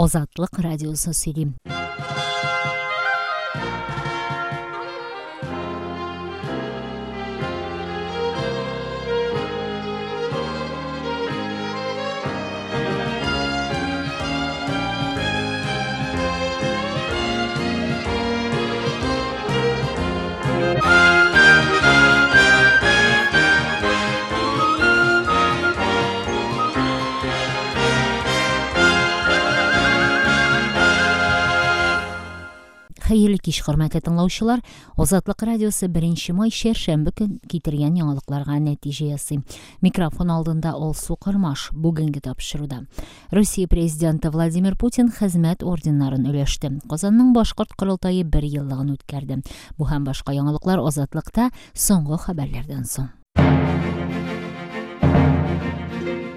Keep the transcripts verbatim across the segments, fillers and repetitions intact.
Азатлык радиосы сөйли. Хәерле кич, хөрмәтле тыңлаучылар. Азатлык радиосы беренче май чәршәмбе көн китергән яңалыкларга нәтиҗә ясый. Микрофон алдында Алсу Кырмаш. Бүгенге тапшыруда Россия президенты Владимир Путин хезмәт орденнарын өләште. Казанның башкорт корылтае бер еллыгын үткәрде. Бу һәм башка яңалыклар Азатлыкта соңгы хәбәрләрдән соң.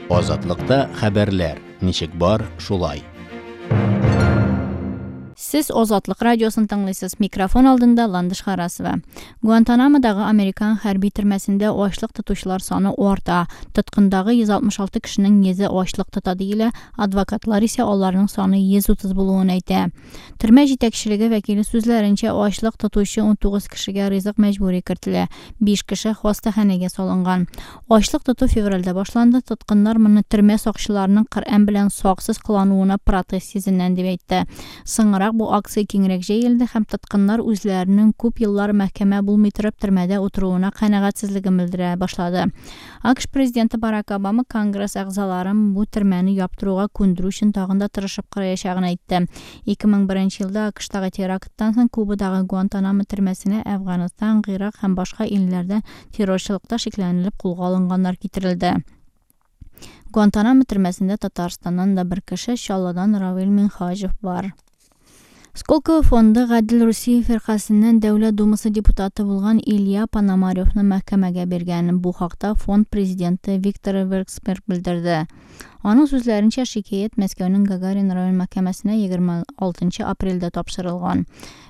Азатлыкта хәбәрләр ничек бар, шулай. Сез Азатлык радиосын тыңлыйсыз. Микрофон алдында Ландыш Харасова. Гуантанамодагы американ хәрби төрмәсендә ачлык тотучылар саны арта. Тоткындагы йөз алтмыш алты кешенең йөзе ачлык тота диелә, адвокатлар исә аларның саны йөз утыз булуын әйтә. Төрмә җитәкчелеге вәкиле сүзләренчә, ачлык тотучы ун тугыз кешегә ризык мәҗбүри кертелә. Биш кеше хастаханәгә салынган. Ачлык тоту февральдә башланды. Тоткыннар моны төрмә сакчыларының Коръән белән саксыз кылануына протест йөзеннән дип әйтте. Соңрак бу акция киңрәк җәелде һәм тоткыннар үзләренең күп еллар мәхкәмә булмый торып төрмәдә утыруына канәгатьсезлеген белдерә башлады. АКШ президенты Барак Обама Конгресс әгъзаларын бу төрмәне яптыруга күндерү өчен тагын да тырышып караячагын әйтте. ике мең беренче елда АКШтагы теракттан соң Кубадагы Гуантанамо төрмәсенә Әфганстан, Гыйрак һәм башка илләрдә террорчылыкта шикләнелеп кулга алынганнар китерелде. Гуантанамо төрмәсендә Татарстаннан да бер кеше, Чаллыдан Равил Минһаҗев бар. Сколково фонды Гадел Русия фиркасеннән Дәүләт Думасы депутаты булган Илья Пономаревны мәхкәмәгә биргән. Бу хакта фонд президенты Виктор Вексберг белдерде. Аның сүзләренчә, шикаять Мәскәүнең Гагарин район мәхкәмәсенә егерме алтынчы апрельдә тапшырылган.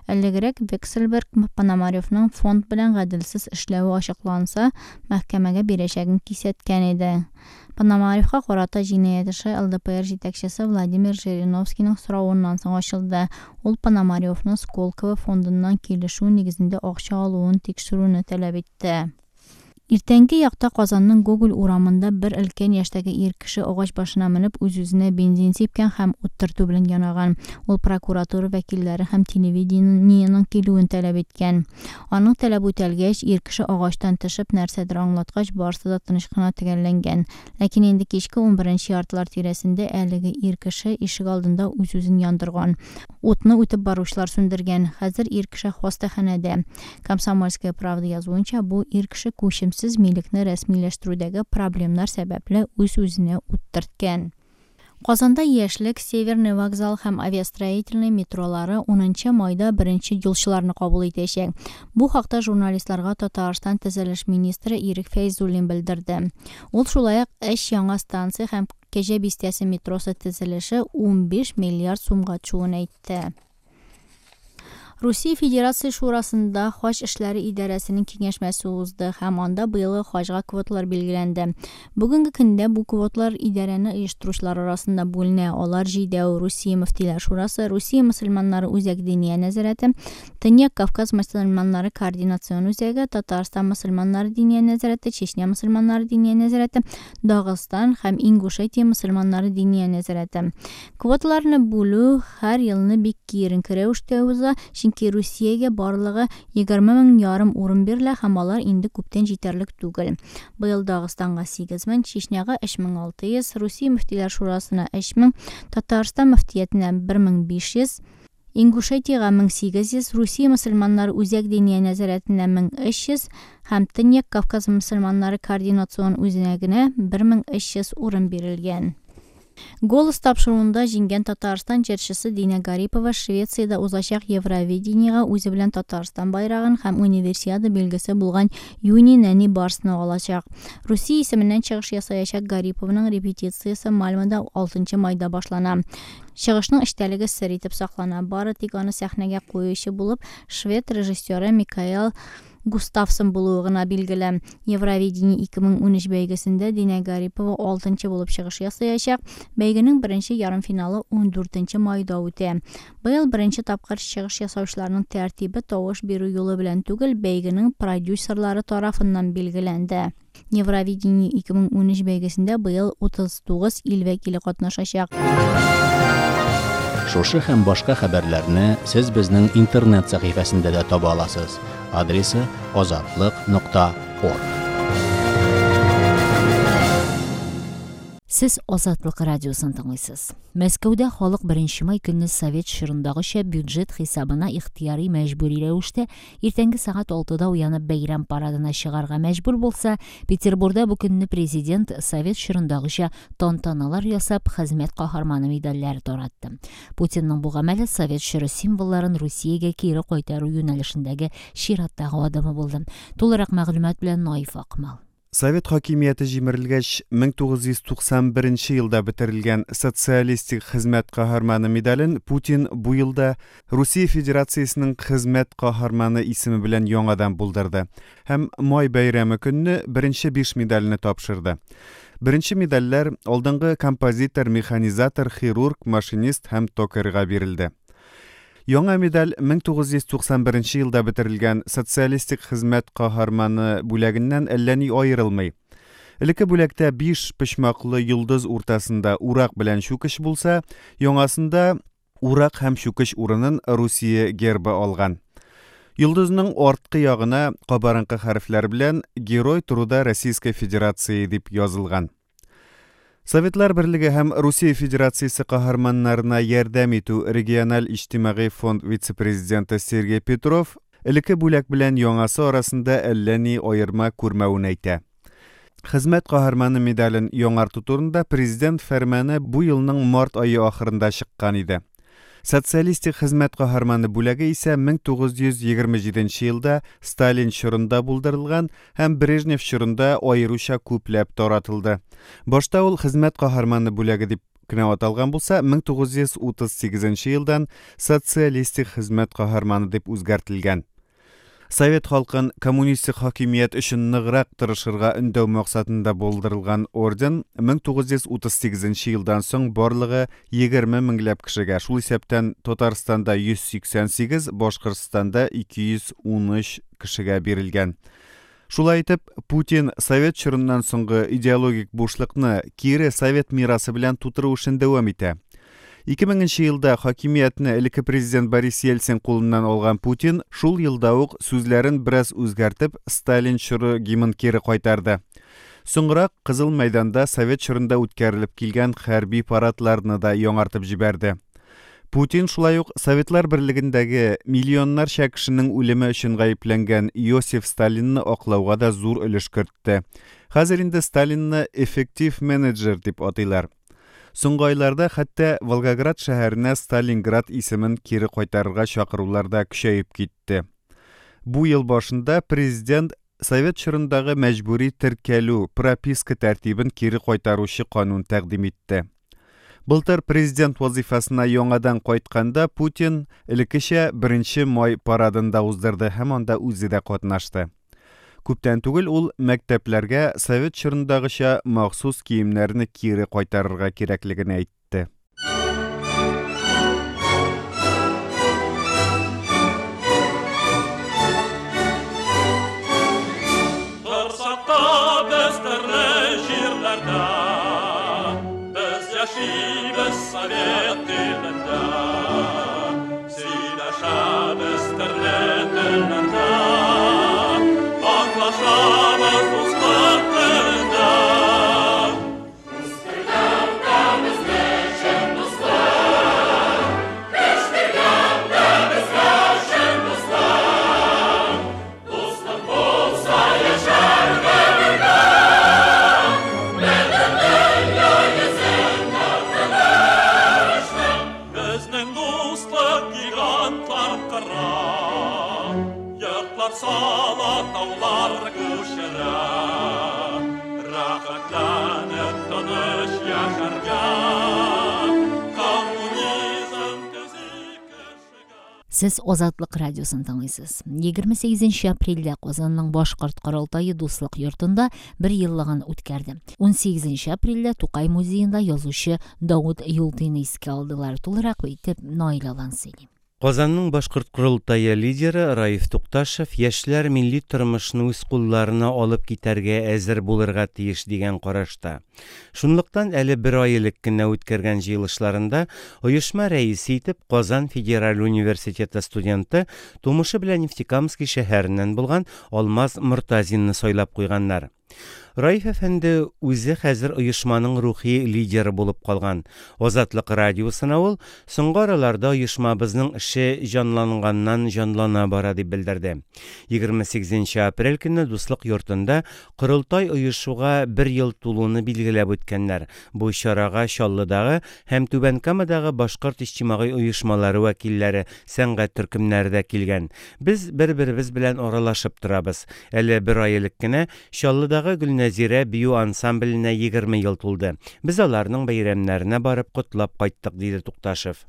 Элегрәк Вексельберг Пономаревның фонд белән гаделсез эшләве ачыкланса, мәхкәмәгә бирәчәген кисәткән иде. Пономаревка карата җинаять эше Л Д П Р җитәкчесе Владимир Жириновскийның соравыннан соң ачылды. Ул Пономаревны Сколково фондыннан килешү нигезендә акча алуын тикшерүне таләп итте. Иртәнге якта Казанның Гоголь урамында бер өлкән яшьтәге ир кеше агач башына менеп үз-үзенә бензин сипкән һәм ут төртү белән янаган. Ул прокуратура вәкилләре һәм телевидениенең килүен таләп иткән. Аның таләбе үтәлгәч, ир кеше агачтан төшеп нәрсәдер аңлаткач, барысы да тыныч кына төгәлләнгән. Ләкин инде кичке унберенче яртылар тирәсендә әлеге ир кеше ишек алдында үз-үзен яндырган. Утны үтеп баручылар сүндергән. Хәзер ир кеше хастаханәдә. Комсомольская правда язуынча, бу ир кеше күчемсез милекне рәсмиләштерүдәге проблемнар сәбәпле үз-үзенә ут төрткән. Казанда Яшьлек, Северный вокзал һәм Авиастроительный метролары унынчы майда беренче юлчыларны кабул итәчәк. Бу хакта журналистларга Татарстан төзелеш министры Ирек Фәйзуллин белдерде. Ул шулай ук өч яңа станция һәм Кәҗә бистәсе метросы төзелеше унбиш миллиард сумга төшүен әйтте. Русия Федерация Шурасында Хаҗ эшләре идарәсенең киңәшмәсе узды һәм анда быелгы хаҗга квоталар билгеләнде. Бүгенге көндә бу квоталар идарәне оештыручылар арасында бүленә. Алар җидәү Русия Мөфтиләр Шурасы, Русия мөселманнары Үзәк Диния нәзарәте, Төньяк Кавказ мөселманнары Координацион үзәге, Татарстан мөселманнары Диния нәзарәте, Чечня мөселманнары Диния нәзарәте, Дагыстан һәм Ингушетия мөселманнары Диния нәзарәте. Квоталарны бүлү һәр елны бик киеренке рәвештә уза, чөнки Русиягә барлыгы егерме мең ярым урын бирелә һәм алар инде күптән җитәрлек түгел. Быел Дагыстанга сигез мең, Чечняга өч мең алты йөз, Русия Мөфтиләр Шурасына өч мең, Татарстан мөфтиятенә бер мең биш йөз, Ингушетиягә мең сигез йөз, Русия мөселманнары Үзәк Диния нәзарәтенә мең өч йөз һәм Төньяк Кавказ мөселманнары Координацион үзәгенә бер мең өч йөз урын бирелгән. Голос тапшыруында җиңгән Татарстан җырчысы Динә Гарипова Швециядә узачак Евровидениега үзе белән Татарстан байрагын һәм универсиада билгесе булган Юни нәни барсны алачак. Русия исеменнән чыгыш ясаячак Гарипованың репетициясе Мальмода алтынчы майда башлана. Чыгышның эчтәлеге сер итеп саклана. Бары тик аны сәхнәгә куючы булып швед режиссеры Микаэл Густавсон булуы гына билгеле. Евровидение ике мең унөч бәйгесендә Динә Гарипова алтынчы булып чыгыш ясаячак. Бәйгенең беренче ярымфиналы ундүртенче майда үтә. Быел беренче тапкыр чыгыш ясаучыларның тәртибе тавыш бирү юлы белән түгел, бәйгенең продюсерлары тарафыннан билгеләнде. Евровидение ике мең унөч бәйгесендә быел утыз тугыз ил вәкиле катнашачак. Шушы һәм башка хәбәрләрне сез безнең интернет сәхифәсендә дә таба аласыз. Адресы азатлык нокта орг. Сез Азатлык радиосын тыңлыйсыз. Мәскәүдә халык беренче май көнне Совет чорындагыча бюджет хисабына ихтыяри мәҗбүри рәвештә иртәнге сәгать алтыда уянып бәйрәм парадына чыгарга мәҗбүр булса, Петербурда бу көнне президент Совет чорындагыча тантаналар ясап хезмәт каһарманы медальләре таратты. Путинның бу гамәле Совет чоры символларын Русиягә кире кайтару юнәлешендәге чираттагы адымы булды. Тулырак мәгълүмат белән Наиф Акмал. Совет хакимияте җимерелгәч, мең тугыз йөз туксан беренче елда бетерелгән социалистик хезмәт каһарманы медален Путин бу елда Русия Федерациясенең хезмәт каһарманы исеме белән яңадан булдырды һәм май бәйрәме көнне беренче биш медальне тапшырды. Беренче медальләр алдынгы композитор, механизатор, хирург, машинист һәм токарьга бирелде. Яңа медаль мең тугыз йөз туксан беренче елда бетерелгән социалистик хезмәт каһарманы бүләгеннән әллә ни аерылмый. Элекке бүләктә биш почмаклы йолдыз уртасында урак белән чүкеч булса, яңасында урак һәм чүкеч урынын Русия гербы алган. Йолдызның арткы ягына кабарынкы хәрефләр белән Герой труда Российской Федерации дип язылган. Советлар Берлеге һәм Русия Федерациясе каһарманнарына ярдәм итү региональ иҗтимагый фонд вице-президенты Сергей Петров элекке бүләк белән яңасы арасында әллә ни аерма күрмәвен әйтә. Хезмәт каһарманы медален яңарту турында президент фәрманы бу елның март ае ахырында чыккан иде. Социалистик хезмәт каһарманы бүләге исә мең тугыз йөз егерме җиденче елда Сталин чорында булдырылган һәм Брежнев чорында аеруча күпләп таратылды. Башта ул хезмәт каһарманы бүләге дип кенә аталган булса, мең тугыз йөз утыз сигезенче елдан социалистик хезмәт каһарманы дип үзгәртелгән. Совет халкын коммунистик хакимият өчен ныграк тырышырга өндәү максатында булдырылган орден мең тугыз йөз утыз сигезенче елдан соң барлыгы егерме меңләп кешегә, шул исәптән Татарстанда йөз сиксән сигез, Башкортстанда ике йөз унөч кешегә бирелгән. Шулай итеп, Путин Совет чорыннан соңгы идеологик бушлыкны кире совет мирасы белән тутыру эшен дәвам итә. Ике меңенче елда хакимиятне элекке президент Борис Ельцин кулыннан алган Путин шул елда ук сүзләрен бераз үзгәртеп Сталин чоры гимнын кире кайтарды. Соңрак Кызыл мәйданда Совет чорында үткәрелеп килгән хәрби парадларны да яңартып җибәрде. Путин шулай ук Советлар Берлегендәге миллионнарча кешенең үлеме өчен гаепләнгән Иосиф Сталинны аклауга да зур өлеш кертте. Хәзер инде Сталинны эффектив менеджер дип атыйлар. Соңгы айларда хәтта Волгоград шәһәренә Сталинград исемен кире кайтарырга чакырулар да көчәеп китте. Бу ел башында президент Совет чорындагы мәҗбүри теркәлү, прописка тәртибен кире кайтаручы канун тәкъдим итте. Былтыр президент вазифасына яңадан кайтканда Путин элеккечә беренче май парадын да уздырды һәм анда үзе дә катнашты. Күптән түгел ул мәктәпләргә Совет чорындагыча махсус киемнәрне кире кайтарырга кирәклеген әйтте. Торсакта без төрле җирләрдә, без яшибез совет илендә, сөйләшәбез төрле телләрдә, аңлашабыз дуслык телендә. Үстергәндә безне чын дуслык, үстергәндә безгә чын дуслык, дуслык булса яшәргә бергә, бөтен дөнья йөзендә тынычлык. Безнең дуслык гигантлар кыра, йортлар сала, таулар күчерә, рәхәтләнеп тыныч яшәргә, коммунизм төзи кешегә. Сез Азатлык радиосын тыңлыйсыз. Егерме сигезенче апрельдә Казанның Башкорт корылтае Дуслык йортында бер еллыгын үткәрде. Унсигезенче апрельдә Тукай музеенда язучы Давыт Юлтыйны искә алдылар. Тулырак итеп Наил Алан сөйли. Казанның Башкорт корылтае лидеры Раиф Тукташев яшьләр милли тормышны үз кулларына алып китәргә әзер булырга тиеш дигән карашта. Шунлыктан әле бер ай элек кенә үткәргән җыелышларында оешма рәисе итеп Казан федераль университеты студенты, тумышы белән Нефтекамский шәһәреннән булган Алмаз Мортазинны сайлап куйганнар. Раиф әфәнде үзе хәзер оешманың рухи лидеры булып калган. Азатлык радиосына ул соңгы араларда оешмабызның эше җанланганнан җанлана бара дип белдерде. Егерме сигезенче апрель көнне Дуслык йортында корылтай оешуга бер ел тулуны билгеләп үткәннәр. Бу чарага Чаллыдагы һәм Түбән Камадагы башкорт иҗтимагый оешмалары вәкилләре, сәнгать төркемнәре дә килгән. Без бер-беребез белән аралашып торабыз. Әле бер ай элек кенә Чаллыдагы Гөлнәзирә бию ансамбленә егерме ел тулды. Без аларның бәйрәмнәренә барып котлап кайттык, диде Тукташев.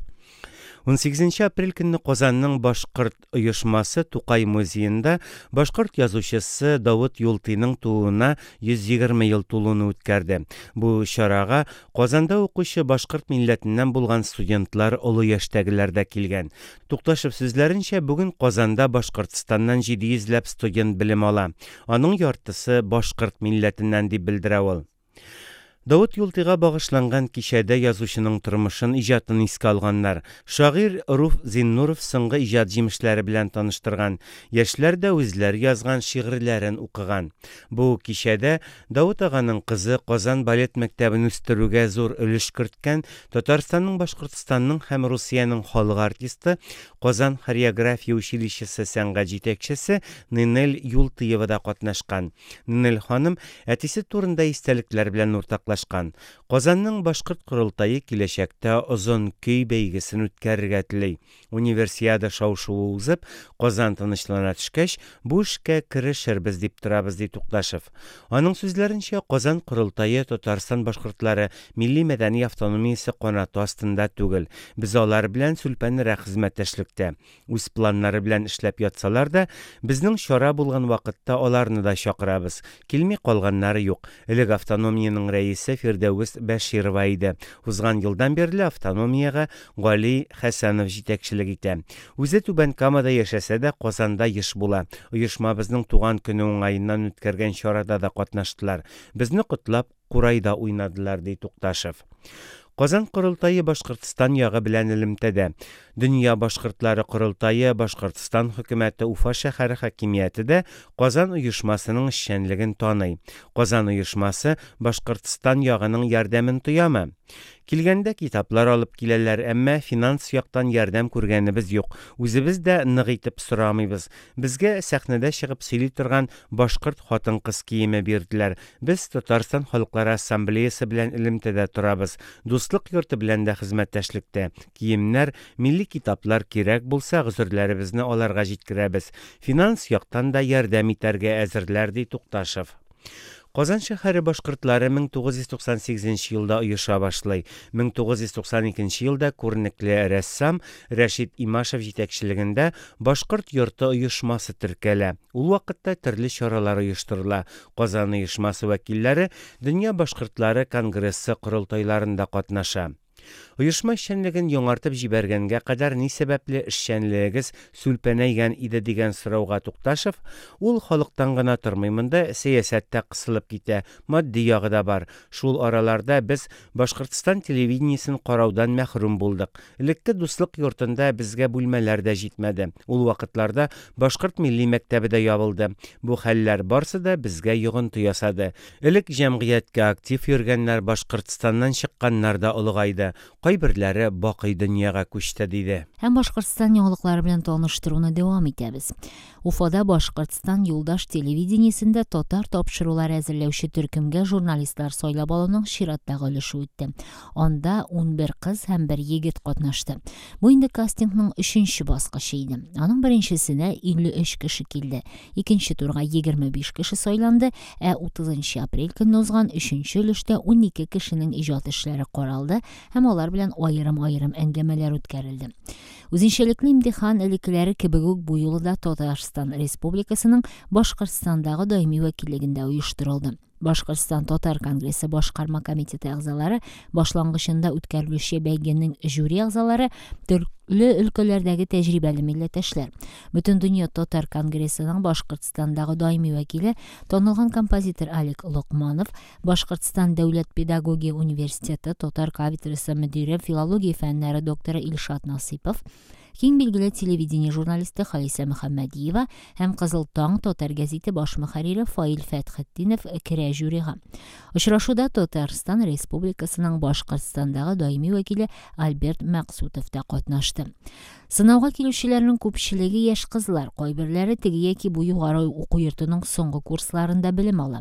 Унсигезенче апрель көнне Казанның Башкорт оешмасы Тукай музеенда башкорт язучысы Давыт Юлтыйның тууына йөз егерме ел тулуны үткәрде. Бу чарага Казанда укучы башкорт милләтеннән булган студентлар, олы яшьтәгеләр дә килгән. Тукташев сүзләренчә, бүген Казанда Башкортстаннан җиде йөзләп студент белем ала. Аның яртысы башкорт милләтеннән дип белдерә ул. Давыт Юлтыйга багышланган кичәдә язучының тормышын, иҗатын искә алганнар. Шагыйрь Руф Зиннуров соңгы иҗат җимешләре белән таныштырган. Яшьләр дә үзләре язган шигырьләрен укыган. Бу кичәдә Давыт аганың кызы Казан балет мәктәбен үстерүгә зур өлеш керткән Татарстанның, Башкортстанның һәм Русиянең халык артисты, Казан хореография училищесы сәнгать җитәкчесе Нинель Юлтыева да катнашкан. Нинель ханым әтисе турында истәлекләр белән уртаклашкан. Казанның Башкорт корылтае киләчәктә озын көй бәйгесен үткәрергә тели. Универсиада шау-шуы узып, Казан тынычлана төшкәч, бу эшкә керешербез дип торабыз, ди Тукташев. Аның сүзләренчә, Казан корылтае Татарстан башкортлары милли мәдәни автономиясе канаты астында түгел. Без алар белән сүлпәнрәк хезмәттәшлектә. Үз планнары белән эшләп ятсалар да, безнең чара булган вакытта аларны да чакырабыз. Килми калганнары юк. Элек автономиянең рәисе Фирдәүс Бәширова иде. Узган елдан бирле автономиягә Гали Хәсәнов җитәкчелек итә. Үзе Түбән Камада яшәсә дә, Казанда еш була. Оешмабызның туган көне уңаеннан үткәргән чарада да катнаштылар. Безне котлап курайда уйнадылар, ди Тукташев. Казан корылтае Башкортстан ягы белән элемтәдә. Дөнья башкортлары корылтае, Башкортстан хөкүмәте, Уфа шәһәре хакимияте дә Казан оешмасының эшчәнлеген таный. Казан оешмасы Башкортстан ягының ярдәмен тоямы? Килгәндә китаплар алып киләләр, әмма финанс яктан ярдәм күргәнебез юк. Үзебез дә нык итеп сорамыйбыз. Безгә сәхнәдә чыгып сөйли торган башкорт хатын-кыз киеме бирделәр. Без Татарстан Халыклары Ассамблеясы белән элемтәдә торабыз. Дуслык йорты белән дә хезмәттәшлектә. Киемнәр, милли китаплар кирәк булса, гозерләребезне аларга җиткерәбез. Финанс яктан да ярдәм итәргә әзерләр, ди Тукташев. Казан шәһәре башкортлары мең тугыз йөз туксан сигезенче елда оеша башлый. Мең тугыз йөз туксан икенче елда күренекле рәссам Рәшит Имашев җитәкчелегендә Башкорт йорты оешмасы теркәлә. Ул вакытта төрле чаралар оештырыла. Казан оешмасы вәкилләре Дөнья башкортлары конгрессы корылтайларында катнаша. Оешма эшчәнлеген яңартып җибәргәнгә кадәр ни сәбәпле эшчәнлегегез сүлпәнәйгән иде дигән сорауга Тукташев, ул халыктан гына тормый, монда сәясәттә кысылып китә, матди ягы да бар. Шул араларда без Башкортстан телевидениесен караудан мәхрүм булдык. Элекке Дуслык йортында безгә бүлмәләр дә җитмәде. Ул вакытларда Башкорт милли мәктәбе дә ябылды. Бу хәлләр барсы да безгә йогынты ясады. Элек җәмгыятькә актив йөргәннәр Башкортстаннан чыкканнар да олыгайды. Кайберләре бакый дөньяга күчте, диде. Һәм Башкортстан яңалыклары белән таныштыруны дәвам итәбез. Уфада Башкортстан юлдаш телевидениесендә татар тапшырулары әзерләүче төркемгә журналистлар сайлап алуның чираттагы өлеше үтте. Анда ун бер кыз һәм бер егет катнашты. Бу инде кастингның өченче баскычы иде. Аның беренчесенә илле өч кеше килде. Икенче турга егерме биш кеше сайланды, ә утызынчы апрель көнне узган өченче өлештә ун ике кешенең иҗат эшләре каралды һәм алар белән аерым-аерым әңгәмәләр үткәрелде. Үзенчәлекле имтихан элеккеләре кебек үк бу юлы да Татарстан Республикасының Башкортстандагы даими вәкиллегендә оештырылды. Башкортстан Татар конгрессы башкарма комитеты әгъзалары башлангычында үткәрелүче бәйгенең жюри әгъзалары төрле өлкәләрдәге тәҗрибәле милләттәшләр. Бөтендөнья Татар конгрессының Башкортстандагы даими вәкиле, танылган композитор Алик Локманов, Башкортстан дәүләт педагогия университеты татар кафедрасы мөдире, филология фәннәре докторы Илшат Насыйпов, киң билгеле телевидение журналисты Халисә Мөхәммәдиева һәм Кызыл таң татар гәзите баш мөхәррире Фаил Фәтхетдинов керә жюрига. Очрашуда Татарстан Республикасының Башкортстандагы даими вәкиле Альберт Мәксутов та катнашты. Сынауга килүчеләрнең күпчелеге яшь кызлар, кайберләре теге яки бу югары уку йортының соңгы курсларында белем ала.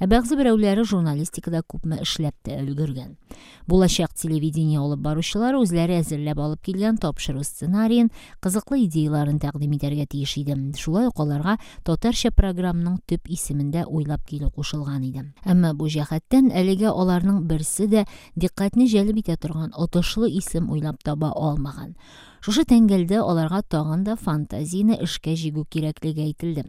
Ә бәгъзе берәүләре журналистикада күпме эшләп тә өлгергән. Булачак телевидение алып баручылар үзләре әзерләп алып килгән тапшыру сценариен, кызыклы идеяларын тәкъдим итәргә тиеш иде. Шулай ук аларга татарча программаның төп исемендә уйлап килү кушылган иде. Әмма бу җәһәттән әлегә аларның берсе дә дикъкатьне җәлеп итә торган отышлы исем уйлап таба алмаган. Шушы тәңгәлдә аларга тагын да фантазияне эшкә җигү кирәклеге әйтелде.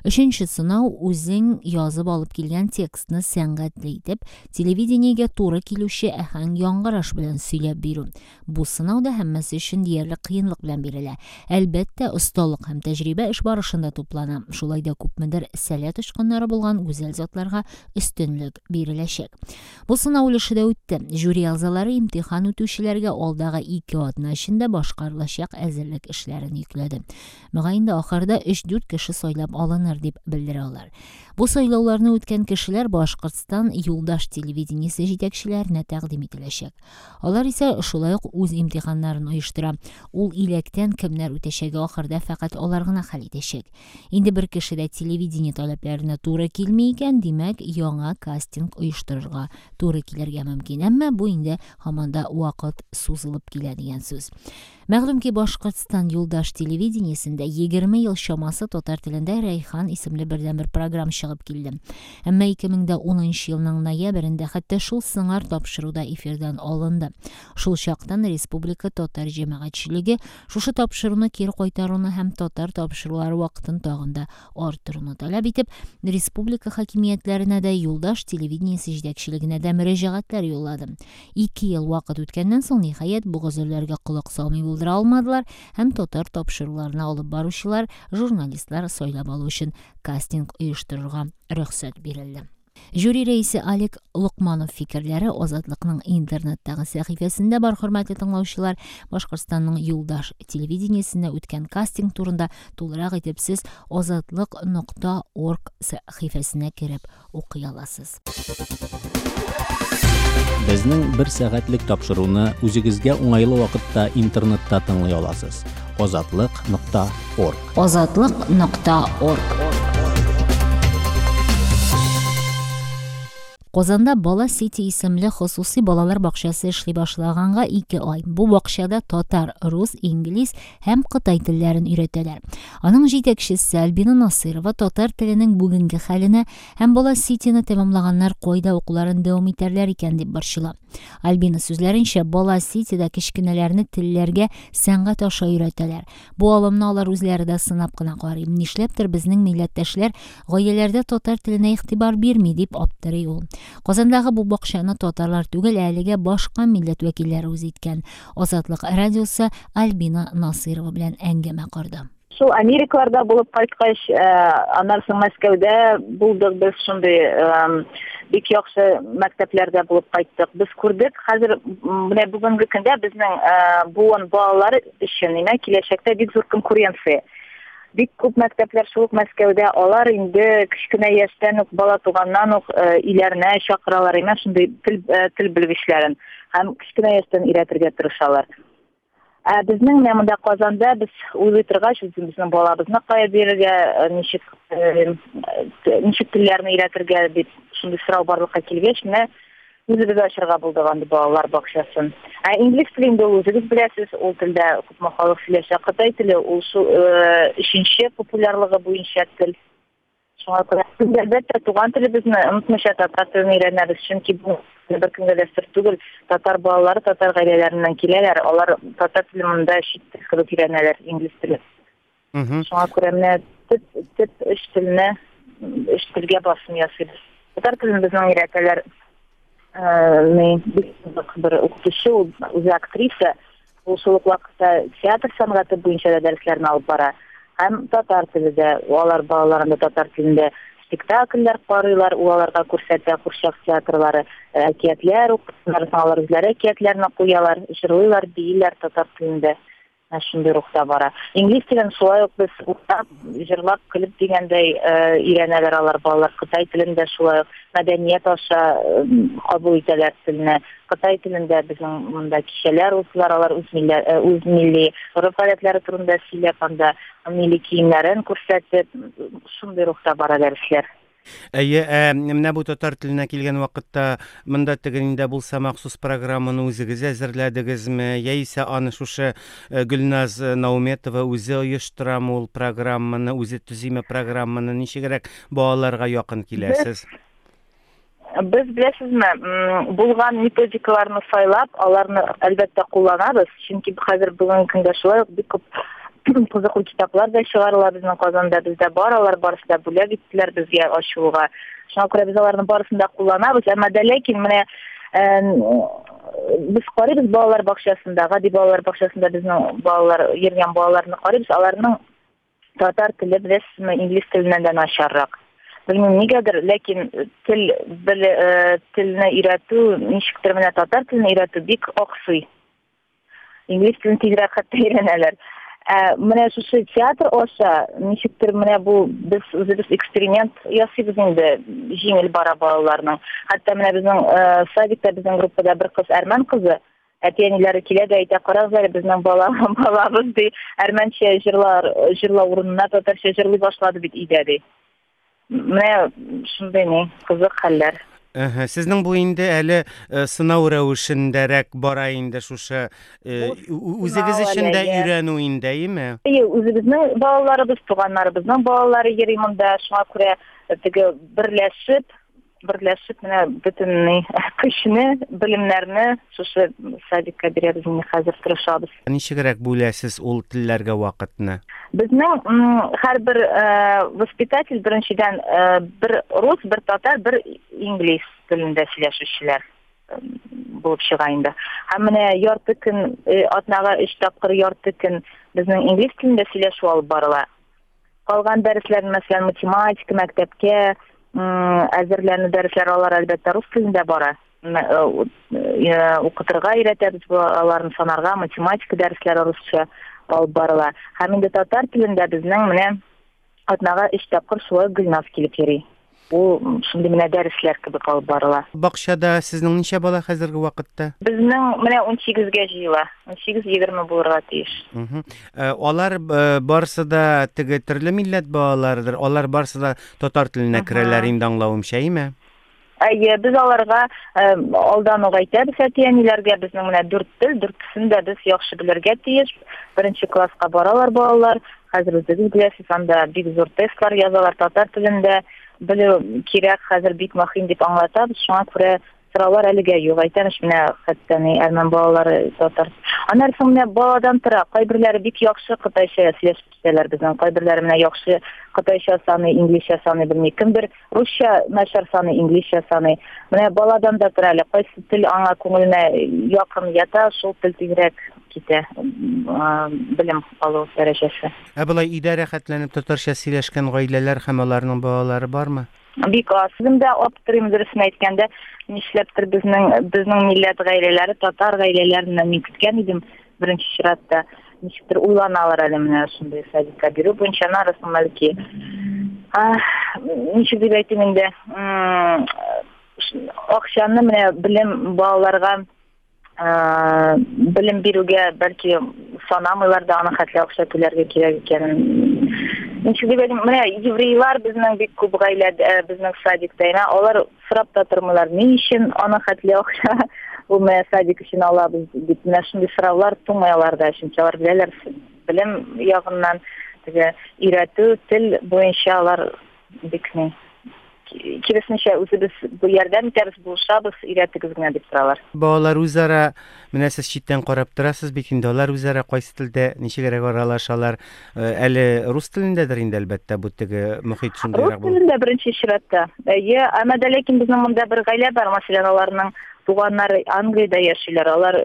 Өченче сынау үзең язып алып килгән текстны сәнгатьле итеп, телевидениегә туры килүче әһәң яңгыраш белән сөйләп бирү. Бу сынау да һәммәсе өчен диярлек кыенлык белән бирелә. Әлбәттә, осталык һәм тәҗрибә эш барышында туплана. Шулай да күпмедер сәләт очкыннары булган гүзәл затларга өстенлек биреләчәк. Бу сынау өлеше дә үтте. Жюри әгъзалары имтихан үтүчеләргә алдагы ике атна эчендә башкарылачак әзерлек эшләрен йөкләде. Мөгаен дә ахырда өч-дүрт кеше сайлап алыныр дип белдерә алар. Бу сайлауларны үткән кешеләр Башкортстан юлдаш телевидениесе җитәкчеләренә тәкъдим ителәчәк. Алар исә шулай ук үз имтиханнарын оештыра. Ул иләктән кемнәр үтәчәге ахырда фәкать алар гына хәл итәчәк. Инде бер кеше дә телевидение таләпләренә туры килми икән, димәк, яңа кастинг оештырырга туры килергә мөмкин. Әмма бу инде һаман да вакыт сузылып килә дигән сүз. Мәгълүм ки, Башкортстан юлдаш телевидениесендә егерме ел чамасы татар телендә Рәйхан исемле бердәнбер программ чыгып килде. Әмма ике мең дә унынчы елның ноябрендә хәтта шул сыңар тапшыруда эфирдан алынды. Шул чактан республика татар җәмәгатьчелеге шушы тапшыруны кире кайтаруны һәм татар тапшырулары вакытын тагын да арттыруны таләп итеп, республика хакимиятләренә дә, юлдаш телевидениесе җитәкчелегенә дә мөрәҗәгатьләр юллады. Ике ел вакыт үткәннән соң, ниһаять, бу гозерләргә колак салмый булдыра алмадылар һәм татар тапшыруларына алып баручылар, журналистлар сайлап алу өчен кастинг оештырырга рөхсәт бирелде. Жюри рәисе Алик Локманов фикерләре Азатлыкның интернеттагы сәхифәсендә бар, хөрмәтле тыңлаучылар. Башкортстанның юлдаш телевидениесендә үткән кастинг турында тулырак итеп сез азатлык нокта орг сәхифәсенә кереп укый аласыз. Безнең бер сәгатьлек тапшыруны үзегезгә уңайлы вакытта интернетта тыңлый аласыз. азатлык нокта орг. азатлык нокта орг. Казанда Бала Сити исемле хосуси балалар бакчасы эшли башлаганга ике ай. Бу бакчада татар, рус, инглиз һәм кытай телләрен өйрәтәләр. Аның җитәкчесе Альбина Насырова татар теленең бүгенге хәленә һәм Бала Ситины тәмамлаганнар кайда укуларын дәвам итәрләр икән дип борчыла. Альбина сүзләренчә, Бала Ситида кечкенәләрне телләргә сәнгать аша өйрәтәләр. Бу алымны алар үзләре дә сынап кына карый. Нишләптер безнең милләттәшләр гаиләләрдә татар теленә игътибар бирми дип аптырый ул. Казандагы бу бакчаны татарлар түгел, әлегә башка милләт вәкилләре үз иткән. Азатлык радиосы Альбина Насырова белән әңгәмә корды. Шул Америкаларда булып кайткач, аннан соң Мәскәүдә булдык без, шундый бик яхшы мәктәпләрдә булып кайттык. Без күрдек, хәзер менә бүгенге көндә безнең буын балалар өчен инде киләчәктә бик зур конкуренция. Бик күп мәктәпләр шул ук Мәскәүдә, алар инде кечкенә яшьтән үк, бала туганнан ук өйләренә чакыралар, имеш, шундый тел, тел белгечләрен һәм кечкенә яшьтән өйрәтергә тырышалар. Ә безнең менә монда Казанда без уйлый торгач, үзебезнең балабызны кая бирергә, ничек, ничек телләрне өйрәтергә дип шундый сорау барлыкка килгәч, менә үзебез ачырга булдык андый балалар бакчасын. Ә инглиз телен дә үзегез беләсез, ул телдә күпме халык сөйләшә. Кытай теле ул шул өченче популярлыгы буенча тел. Шуңа күрә без, әлбәттә, туган телебезне онытмыйча татар телен өйрәнәбез, чөнки бу беркемгә дә сер түгел, татар балалары татар гаиләләреннән киләләр, алар татар телен монда чит тел кебек өйрәнәләр, инглиз теле. Шуңа күрә менә төп, төп өч телне, өч телгә басым ясыйбыз. Татар телен безнең өйрәтәләр, э, бик кызык бер укытучы, ул үзе актриса, ул шул ук вакытта театр сәнгате буенча да дәресләрне алып бара. Һәм татар теле дә, алар балаларында татар телендә спектакльләр карыйлар, ул аларга күрсәтә курчак театрлары, әкиятләр укыйлар, алар үзләре әкиятләрне куялар, җырлыйлар, бииләр татар телендә. Менә шундый рухта бара. Инглиз телен шулай ук без уктап, җырлап, көлеп дигәндәй, э, өйрәнәләр алар балалар. Кытай телендә шулай ук мәдәният аша, э, кабул итәләр телне. Кытай телендә безнең монда кичәләр узалар, алар үз милли, э, үз милли гореф-гадәтләре турында сөйләп, анда милли киемнәрен күрсәтеп, шундый рухта бара дәресләр. Әйе, ә, менә бу татар теленә килгән вакытта монда теге инде булса махсус программаны үзегез әзерләдегезме, яисә аны шушы, э, Гөлназ Науметова үзе оештырамы ул программаны, үзе төзиме программаны, ничегрәк балаларга якын киләсез? Без, беләсезме, м, булган методикаларны сайлап, аларны әлбәттә кулланабыз, чөнки хәзер бүгенге көндә шулай ук бик күп кызыклы китаплар да чыгарыла безнең Казанда, бездә бар, алар барысы да бүләк иттеләр безгә ачуга. Шуңа күрә без аларны барысын да кулланабыз, әмма дә ләкин менә, э, без карыйбыз балалар бакчасында, гади балалар бакчасында безнең балалар йөргән балаларны карыйбыз, аларның татар теле, беләсезме, инглиз теленнән дә начаррак. Белмим нигәдер, ләкин тел бел, э, телне өйрәтү, ничектер менә татар телен өйрәтү бик аксый. Инглиз телен тизрәк хәтта өйрәнәләр. Ә, менә шушы театр аша ничектер менә бу без үзебез эксперимент ясыйбыз инде, җиңел бара балаларның. Хәтта менә безнең, э, садикта безнең группада бер кыз әрмән кызы, әти-әниләре килә дә әйтә, карагыз әле, безнең бала, балабыз ди, әрмәнчә җырлар, җырлау урынына татарча җырлый башлады бит өйдә ди. Менә шундый ни, кызык хәлләр. Әһә, сезнең бу инде әле, э, сынау рәвешендәрәк бара инде шушы, э, Бу үзегез сынау өчен дә әле, әйе. өйрәнү инде, әйеме? Әйе, үзебезнең балаларыбыз, туганнарыбызның балалары йөри монда, шуңа күрә теге берләшеп, берләшеп менә бөтен ни, көчне, белемнәрне шушы садикка бирәбез инде, хәзер тырышабыз. Ничегрәк бүләсез ул телләргә вакытны? Безнең, м, һәрбер, э, воспитатель беренчедән, э, бер рус, бер татар, бер инглиз телендә сөйләшүчеләр, м, булып чыга инде. Һәм менә ярты көн, э, атнага өч тапкыр ярты көн безнең инглиз телендә сөйләшү алып барыла. Калган дәресләр, мәсәлән, математика, мәктәпкә, м, әзерләнү дәресләре алар әлбәттә рус телендә бара. М, э, у-, э, укытырга өйрәтәбез аларны, санарга, математика дәресләре русча алып барыла. Һәм инде татар телендә безнең менә атнага өч тапкыр шулай Гөлназ килеп йөри. Ул шундый менә дәресләр кебек алып барыла. Бакчада сезнең ничә бала хәзерге вакытта? Безнең менә ун сигезгә җыела. Ун сигез егерме булырга тиеш. Мгм. Э, алар, э, барысы да теге төрле милләт балаларыдыр. Алар барысы да татар теленә Мгм. керәләр инде, аңлавымча, әйеме? Әйе, без аларга, э, алдан ук әйтәбез әти-әниләргә, безнең менә дүрт тел, дүртесен дә без яхшы белергә тиеш. Беренче класска баралар балалар. Хәзер үзегез беләсез, анда бик зур тестлар язалар татар телендә. Белү кирәк, хәзер бик мөһим дип аңлатабыз. Шуңа күрә сораулар әлегә юк. Әйтәмеш, менә хәтта ни әрмән балалары татар. Аннан соң менә баладан тора. Кайберләре бик яхшы кытайча сөйләшеп китәләр безнең. Кайберләре менә яхшы кытайча саный, инглизчә саный белми. Кемдер русча начар саный, инглизчә саный. Менә баладан да тора әле. Кайсы тел аңа күңеленә якын ята, шул тел тизрәк китә, м, а, белем алу дәрәҗәсе. Ә болай өйдә рәхәтләнеп татарча сөйләшкән гаиләләр һәм аларның балалары бармы? Бик аз. Үзем дә аптырыйм, дөресен әйткәндә, нишләптер безнең, безнең милләт гаиләләре татар гаиләләреннән мин көткән идем беренче чиратта. Ничектер уйланалар әле менә шундый садикка бирү буенча. Нарысын бәлки, а, ничек дип әйтим инде, м, акчаны менә белем балаларга, а, белем бирүгә бәлки санамыйлар да, аны хәтле акча түләргә кирәк икәнен. Ничек дип әйтим, менә еврейлар безнең бик күп гаиләдә, э, безнең садикта, әйме, алар сорап та тормыйлар, ни өчен аны хәтле акча бу менә садик өчен алабыз дип, менә шундый сораулар тумый аларда, чөнки алар беләләр, белем ягыннан теге өйрәтү, тел буенча алар бик ни. Киресенчә, үзебез ярдәм итәбез, булышабыз, өйрәтегез генә дип торалар. Балалар үзара, менә сез читтән карап торасыз бит инде, алар үзара кайсы телдә ничегрәк аралашалар? Әле рус телендәдер инде, әлбәттә, бу теге мохит шундыйрак булып. Рус телендә беренче чиратта. Әйе, әмма дә ләкин безнең монда бер гаилә бар, мәсәлән, аларның туганнары Англиядә яшиләр. Алар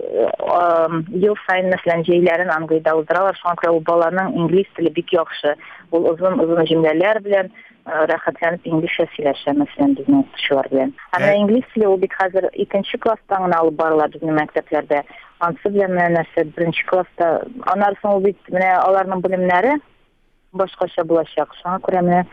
ел саен, мәсәлән, җәйләрен Англиядә уздыралар. Шуңа күрә ул баланың инглиз теле бик яхшы. Ул озын-озын җөмләләр белән рәхәтләнеп инглизчә сөйләшә, мәсәлән, безнең укытучылар белән. Ә менә инглиз теле ул бит хәзер икенче класстан гына алып барыла безнең мәктәпләрдә. Ансы белән менә нәрсә беренче класста, аннан соң ул бит менә аларның белемнәре башкача булачак. Шуңа күрә менә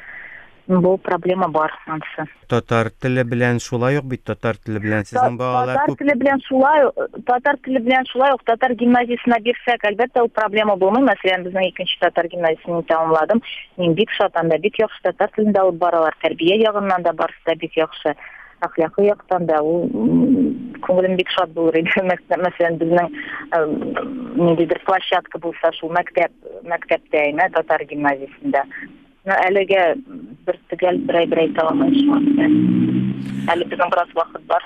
бу проблема бар ансы. Татар теле белән шулай ук бит, татар теле белән сезнең балалар күп. Татар теле белән шулай, татар теле белән шулай ук татар гимназиясенә бирсәк, әлбәттә, ул проблема булмый. Мәсәлән, безнең икенче татар гимназиясен тәмамладым. Мин бик шат, анда бик яхшы татар телендә алып баралар. Тәрбия ягыннан да барысы да бик яхшы. Әхлакый яктан да ул күңелем бик шат булыр иде. Мәсәлән, безнең ниндидер площадка булса, шул мәктәп, мәктәптә, әйме, татар гимназиясендә. Но әлегә бер төгәл бер әйбер әйтә алмыйм шуңа күрә. Әле безнең бераз вакыт бар.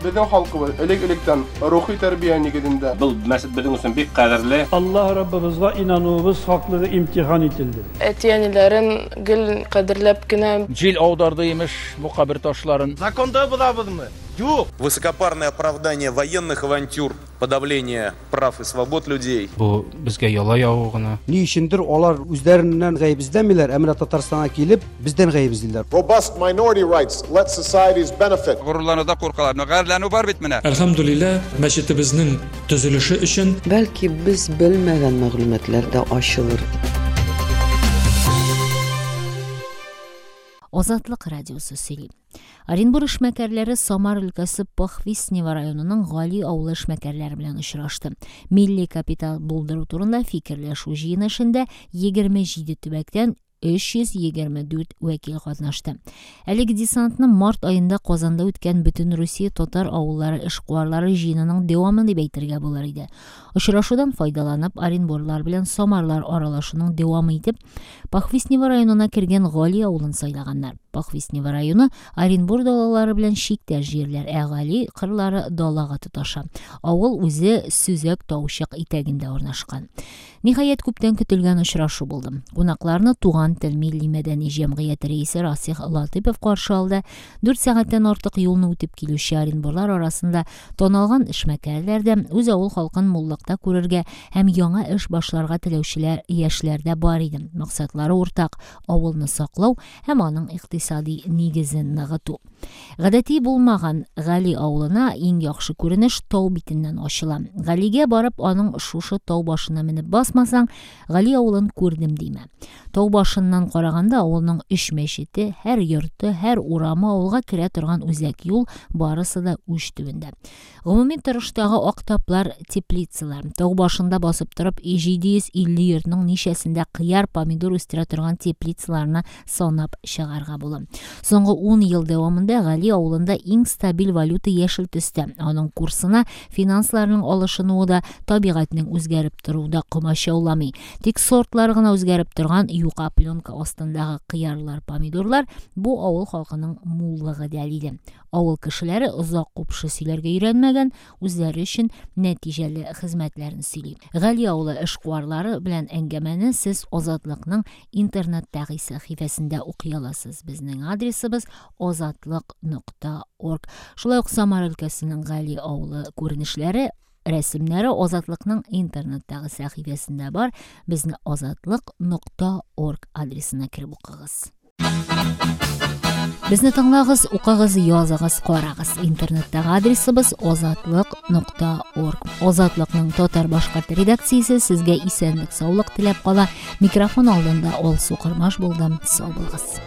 Безнең халкыбыз элек-электән рухи тәрбия нигезендә. Был мәсҗид безнең өчен бик кадерле. Аллаһ Раббыбызга инануыбыз хаклыгы имтихан ителде. Әти-әниләрен гел кадерләп кенә. Җил аударды имеш бу кабер ташларын. Законда булабызмы? Юк. Высокопарное оправдание военных авантюр, подавление прав и свобод людей. Бу безгә яла ягу гына. Ни өчендер алар үзләреннән гаеп эзләмиләр, ә менә Татарстанга килеп бездән гаеп эзлиләр. Robust minority rights let societies benefit. Горурлануда куркалар. Гарьләнү бар бит менә. Әлхәмдүлилләһ, мәчетебезнең төзелеше өчен бәлки без белмәгән мәгълүматлар да ачылыр. Азатлык радиосы сөйли. Оренбур эшмәкәрләре Самар өлкәсе Похвистнево районының Гали авылы эшмәкәрләре белән очрашты. Милли капитал булдыру турында фикерләшү җыены эшендә егерме җиде төбәктән өч йөз егерме дүрт вәкил катнашты. Әлеге десантны март аенда Казанда үткән Бөтен Русия татар авыллары эшкуарлары җыенының дәвамы дип әйтергә булыр иде. Очрашудан файдаланып, Оренбурлар белән Самарлар аралашуның дәвамы итеп, Похвистнево районына кергән Гали авылын сайлаганнар. Похвистнево районы Оренбур далалары белән чиктәш җирләр, ә Гали кырлары далага тоташа. Авыл үзе сөзәк таучык итәгендә урнашкан. Ниһаять, күптән көтелгән очрашу булды. Кунакларны Туган тел милли мәдәни җәмгыяте рәисе Расих Латыпов каршы алды. Дүрт сәгатьтән артык юлны үтеп килүче Оренбурлар арасында танылган эшмәкәрләр дә, үз авыл халкын муллыкта күрергә һәм яңа эш башларга теләүчеләр яшьләр дә бар иде. Максатлары уртак: авылны саклау һәм аның икътисади нигезен ныгыту. Гадәти булмаган Гали авылына иң яхшы күренеш тау битеннән ачыла. Галигә барып, аның шушы тау башына менеп басмасаң, Гали авылын күрдем димә. Тау башыннан караганда авылның өч мәчете, һәр йорты, һәр урамы, авылга керә торган үзәк юл барысы да уч төбендә. Гомуми торыштагы ак таплар, теплицалар. Тау башында басып торып, җиде йөз илле йортның ничәсендә кыяр, помидор үстерә торган теплицаларны санап чыгарга була. Соңгы ун ел дәвамында Гали авылында иң стабиль валюта яшел төстә. Аның курсына финансларның алышынуы да, табигатьнең үзгәреп торуы да комачауламый. Тик сортлар гына үзгәреп торган юка пленка астындагы кыярлар, помидорлар бу авыл халкының муллыгы дәлиле. Авыл кешеләре озак купшы сөйләргә өйрәнмәгән, үзләре өчен нәтиҗәле хезмәтләрен сөйли. Гали авылы эшкуарлары белән әңгәмәне сез Азатлыкның интернеттагы сәхифәсендә укый аласыз. Безнең адресыбыз азатлык нокта орг. Шулай ук Самар өлкәсенең Гали авылы күренешләре, рәсемнәре Азатлыкның интернеттагы сәхифәсендә бар. Безне азатлык нокта орг адресына кереп укыгыз. Безне тыңлагыз, укыгыз, языгыз, карагыз. Интернеттагы адресыбыз азатлык нокта орг. Азатлыкның татар башкорт редакциясе сезгә исәнлек, саулык теләп кала. Микрофон алдында Алсу Кырмаш булдым. Сау булыгыз.